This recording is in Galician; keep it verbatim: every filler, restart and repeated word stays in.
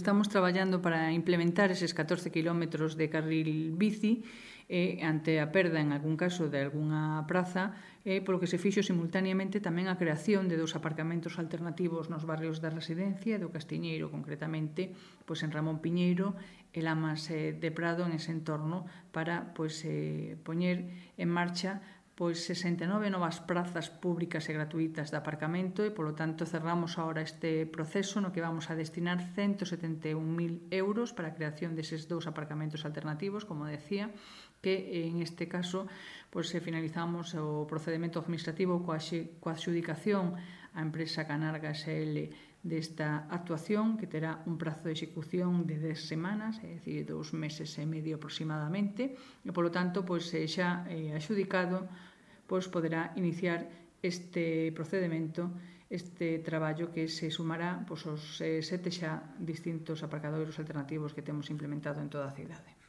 Estamos traballando para implementar eses catorce quilómetros de carril bici e ante a perda, en algún caso, de algunha praza, e polo que se fixo simultaneamente tamén a creación de dous aparcamentos alternativos nos barrios da Residencia e do Castiñeiro, concretamente pois en Ramón Piñeiro e Lamas de Prado, en ese entorno, para pois, eh, poñer en marcha pois sesenta e nove novas prazas públicas e gratuitas de aparcamento e, polo tanto, cerramos agora este proceso no que vamos a destinar ciento setenta e un mil euros para a creación deses dous aparcamentos alternativos, como decía, que en este caso pois, finalizamos o procedimento administrativo coa adxudicación á empresa Canarga S L desta actuación, que terá un prazo de execución de dez semanas, é dicir, dous meses e medio aproximadamente, e, polo tanto, pois, xa adxudicado, pois poderá iniciar este procedimento, este traballo que se sumará pois, aos sete xa distintos aparcadoiros alternativos que temos implementado en toda a cidade.